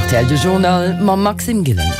Rtl De Journal mam Maxime Gillen.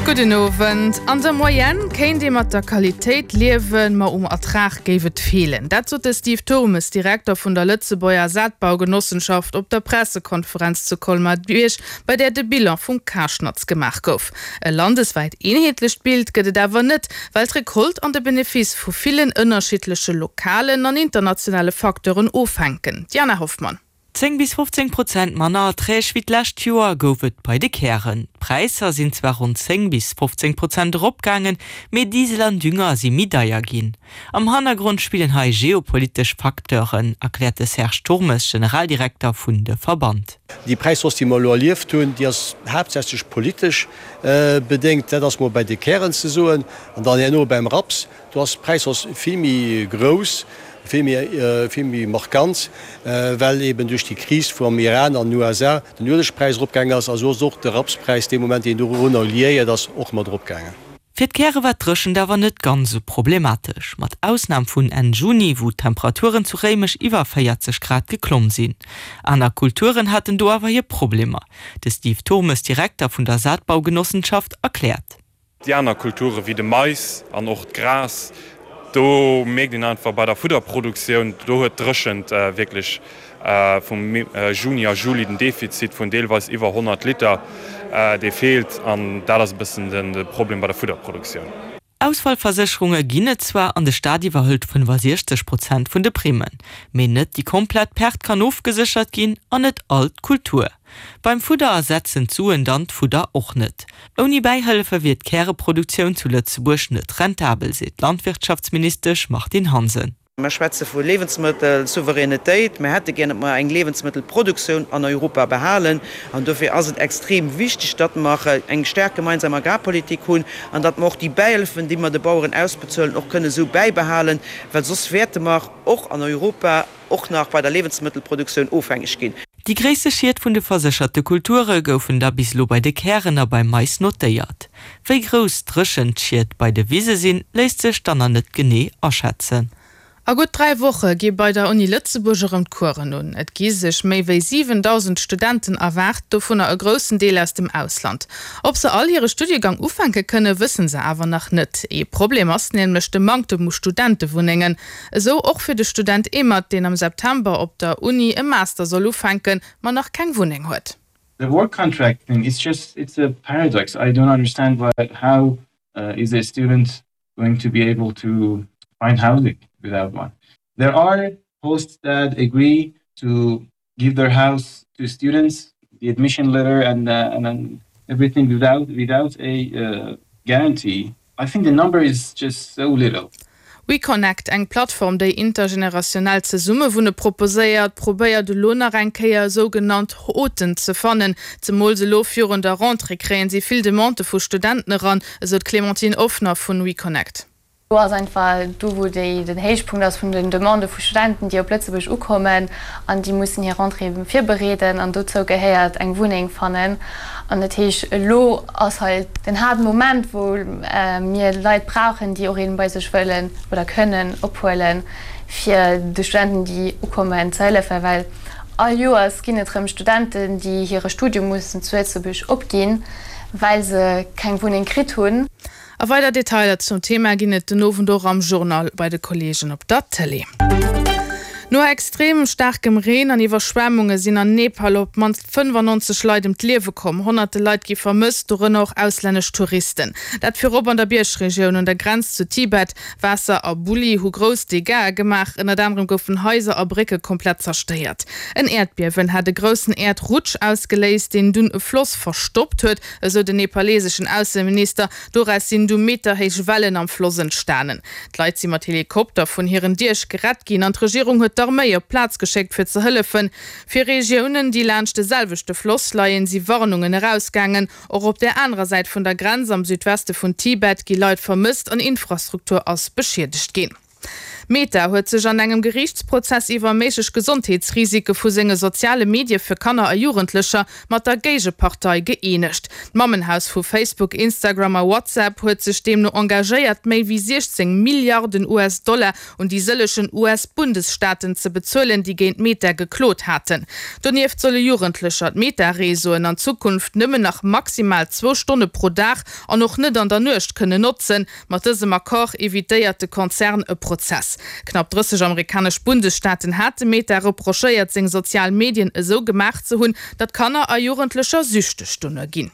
Gudden Owend. An der Moyenne kéint ee mat der Qualitéit liewen, ma um Ertrag géif et feelen. Dat sot de Steve Turmes, Direkter vun der Lëtzebuerger Saatbaugenossenschaft op der Pressekonferenz zu Colmar-Bierg, bei där de Bilan vum Karschnatz gemaach gouf. E landeswäit eenheetlecht Bild gëtt et awer net, well d'Recolte an de Benefice vu villen ënnerschiddleche lokalen an internationale Facteuren ofhänken. Diana Hoffmann. 10 bis 15 Prozent manner Erträg wéi d'lescht Joer gouf et bei de Kären. D'Präisser sinn zwar ronn 10 bis 15 Prozent eropgaangen, mee Diesel an Dünger si méi deier ginn. Am Hannergrond spillen hei geopolitesch Facteuren, erkläert de Serge Turmes, Generaldirekter vun de Verband. Déi Präishausse, déi mer elo erlieft hunn, déi ass haaptsächlech politesch bedéngt. Dat ass mol bei de Kären ze soen. An dann herno beim Raps, Do ass d'Präishausse vill méi grouss, vill méi, vill méi markant, well eben duerch déi Kris vu am Iran an den USA den Uelegpräis eropgaangen ass. A sou ass och de Rapspräis dee Moment, deen dorunner liéiert ass, och mat eropgaangen. Fir d'Käre war d'Dréchent awer net ganz esou problematesch, mat Ausnam vun Enn Juni, wou d'Temperaturen zu Réimech iwwer 40 Grad geklomm sinn. Aner Kulturen haten do awer hir Problemer. De Steve Turmes, Direkter vun der Saatbaugenossenschaft, erkläert. Déi aner Kulture wéi de Mais an och d'Gras, do mierkt een einfach bei der Fudderproduktioun, do huet d'Dréchent wierklech vum Juni a Juli den Defizit vun deelweis iwwer 100 Liter, dee feelt an dat ass e bëssen de Problem bei der Fudderproduktioun. Ausfallversécherunge ginn et zwar an de Staat iwwerhëlt 65 Prozent vun de Primmen, mee net déi komplett Perte kann ofgeséchert ginn an net all d'Kultur. Beim Fudder ersetzen d'Suen dann d'Fudder och net. Ouni Bäihëllefe wier d'Käreproduktioun zu Lëtzebuerg net rentabel, seet d'Landwirtschaftsministesch Martine Hansen. Mer schwätze vu Liewensmëttelsouveränitéit. Mer hätte gär, datt mer eng Liewensmëttelproduktioun an Europa behalen. An dofir ass et extrem wichteg, datt mer eng staark gemeinsam Agrarpolitik hunn an datt mer och déi Bäihëllefen, déi mer de Baueren ausbezuelen, och kënne esou bäibehalen, well soss wäerte mer och an Europa, och nach bei der Liewensmëttelproduktioun ofhängeg ginn. Déi gréisste Schied vun de versécherte Kulture goufen da bis elo bei de Kären a beim Mais notéiert. Wéi grouss d'Dréchent-Schied bei de Wise sinn, léisst sech dann nach net genee aschätzen. A gutt 3 Woche gi bei der Uni Lëtzebuerg erëm d'Coursen un. Et gi sech méi wéi 7.000 Studenten erwaart, dovunner e groussen Deel aus dem Ausland. Ob se all hire Studiegang ufänke kënne, wësse se awer nach net. Ee Problem ass nämlech de Manktem u Studentewunnengen. Esou och fir de Student Emad, deen am September op der Uni e Master soll ufänken, ma nach keng Wunneng huet. The work contract thing it's just it's a paradox. I don't understand why how is a student going to be able to find housing without one. There are hosts that agree to give their house to students, the admission letter and uh, and everything without without a uh, guarantee. I think the number is just so little. WeConnect, eng Plattform, déi intergenerationellt Zesummewunne proposéiert, probéiert elo nach eng Kéier sougenannt Hôten ze fannen. Zemools elo virun der Rentrée kréien si vill Demandë vu Studenten eran, esou d'Clémentine Offner vun WeConnect. Do ass einfach do, wou déi, den Héichpunkt ass vun den Demandë vu Studenten, déi op Lëtzebuerg ukommen an déi mussen hir Rentrée virbereeden an dozou gehéiert eng Wunneng fannen. An dat heescht, elo ass hei den haarden Moment, wou mir Leit brauchen, déi och een bei sech wëllen oder kënnen ophuelen, fir de Studenten, déi ukommen, ze hëllefen. Well all Joers ginn et erëm Studenten, déi hire Studium mussen zu Lëtzebuerg opginn, well se keng Wunneng kritt hunn. A weider Detailer zum Thema ginn et den Owend och am Journal bei de Kolleegen op der Tëlee. No extrem staarkem Reen an Iwwerschwemmunge sinn an Nepal op d'mannst 95 Leit ëm d'Liewe komm. Honnerte Leit gi vermësst, dorënner och auslännesch Touristen. Dat virop an der Biergregioun un der Grenz zu Tibet. Waasser a Bulli hu grouss Dégâtsë gemaach. Ënnert anerem goufen Haiser a Brécke komplett zerstéiert. En Äerdbiewen hat e groussen Äerdrutsch ausgeléist, deen dunn e Floss verstoppt huet. Esou den nepaleseschen Ausseminister. Doraus sinn du meterhéich Wellen am Floss entstanen. D'Leit si mat Helikopter vun hiren Diech gerett ginn an d'Regierung huet d'Arméi op d'Plaz geschéckt fir ze hëllefen. Fir Regiounen, déi laanscht de selwechte Floss leien, si Warnungen erausgaangen. Och op där anerer Säit vun der Grenz, am Südweste vun Tibet, gi Leit vermësst an Infrastruktur ass beschiedegt ginn. Meta huet sech an engem Geriichtsprozess iwwer méiglech Gesondheetsrisike vu senge soziale Medie fir Kanner a Jugendlecher mat der Géigepartei gëeenegt. D'Mammenhaus vu Facebook, Instagram a WhatsApp huet sech deemno engagéiert, méi wéi 16 Milliarden US-Dollar un déi sëllegen US-Bundesstaaten ze bezuelen, déi géint Meta geklot haten. Donieft solle Jugendlecher d'Meta-Reseauen an Zukunft nëmmen nach maximal zwou Stonne pro Dag an och net an der Nuecht kënnen notzen. Mat dësem Accord evitéiert de Konzern e Prozess. Knapp 30 amerikanesch Bundesstaaten hate Meta reprochéiert, seng sozial Medien esou gemaach ze hunn, datt Kanner a Jugendlecher süchteg dono ginn.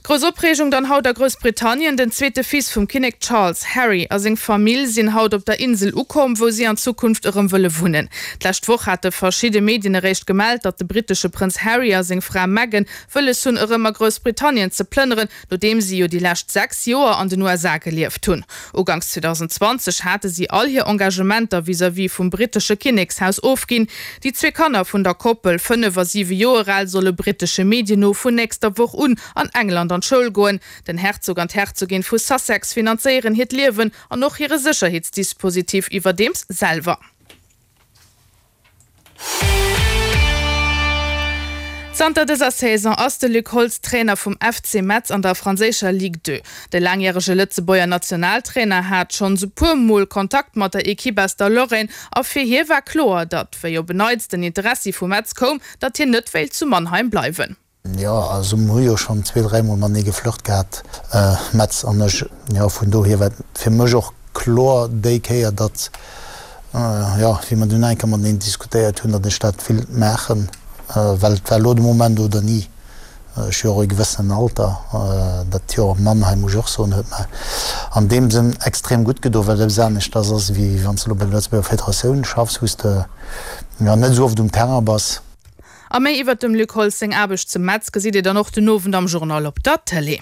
Grouss Opreegung dann haut a Groussbritannien, Den zweete Fils vum Kinnek Charles, Harry, a seng Famill sinn haut op der Insel ukomm, wou si an Zukunft erëm wëlle wunnen. D'lescht Woch hate verschidde Medien eréischt gemellt, datt de brittesche Prënz Harry a seng Fra Meghan wëlles hunn, erëm a Groussbritannien ze plënneren, nodeem si jo déi lescht 6 Joer an den USA gelieft hunn. Uganks 2020 hate si all hir Engagementer vis-à-vis vum brittesche Kinnekshaus ofginn. Déi zwee Kanner vun der Koppel, 5 a 7 Joer al, solle brittesche Medien no vun nächster Woch un an England an d'Schoul goen. Den Herzog an d'Herzogin vu Sussex finanzéieren hiert Liewen an och hire Sécherheetsdispositif iwwerdeems selwer. Zanter dëser Saison ass de Luc Holtz Trainer vum FC Metz an der franséischer Ligue 2. De laangjärege Lëtzebuerger Nationaltrainer hat schonns e puer Mol Kontakt mat der Ekipp aus der Lorraine a fir hie war kloer, datt, wéi op en Neits den Interessi vu Metz koum, datt hien net wéilt zu Mannheim bleiwen. Jo, also mer hu jo schonn zwee, dräimol matenee geflirt gehat, Metz an ech. Jo, vun dohier war et fir mech och kloer déi Kéier, datt, jo, wéi mer dunn eng Kéier mateneen diskutéiert hunn, datt ech dat willt maachen, well et war elo de Moment oder ni. Ech hu jo och e gewëssenen Alter. Dat Joer op Mannheim, muss ech och soen, huet mer an deem Sënn extrem gutt gedo, well et eppes aneschters ass, wéi wann s de elo bei der Lëtzebuerger Federatioun schaffs, wou s de, jo, net esou oft um Terrain bass. A méi iwwert dem Luc Holtz seng Aarbecht zu Metz gesitt Dir dann och den Owend am Journal op der Tëlee.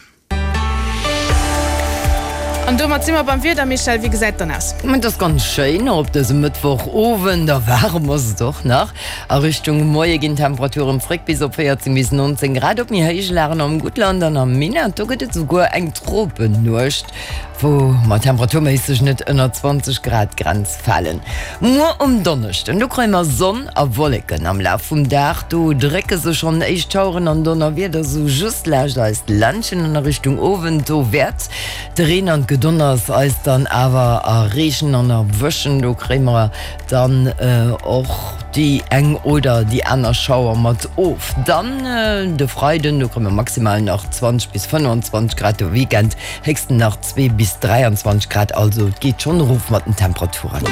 An domat si mer beim Wieder. Michèle, wéi gesäit et dann aus? Et ass ganz schéin op dësem Mëttwochowend a waarem ass et och nach. A Richtung Moie ginn d'Temperaturen zréck bis op 14 bis 19 Grad. Op méi héije Lagen am Guttland an am Minett, do gëtt et esouguer eng Tropennuecht. wou mer temperaturméisseg net ënner 20 Grad Grenz falen. Muer um Donneschden, do kréie mer Sonn a Wolleken am Laf vum Dag. Do drécke sech schonn éischt Schaueren an Donnerwieder sou just laascht eist Ländchen an a Richtung Owend, do wäert de Reen an d'Gedonners eis dann awer erreechen an erwëschen. Do kréie mer dann och déi eng oder déi aner Schauer mat of. Dann de Freiden, do kréie mer maximal nach 20 bis 25 Grad, de Weekend Héchsten nach 2 bis 23 Grad, also et geet schonn erof mat den Temperaturen.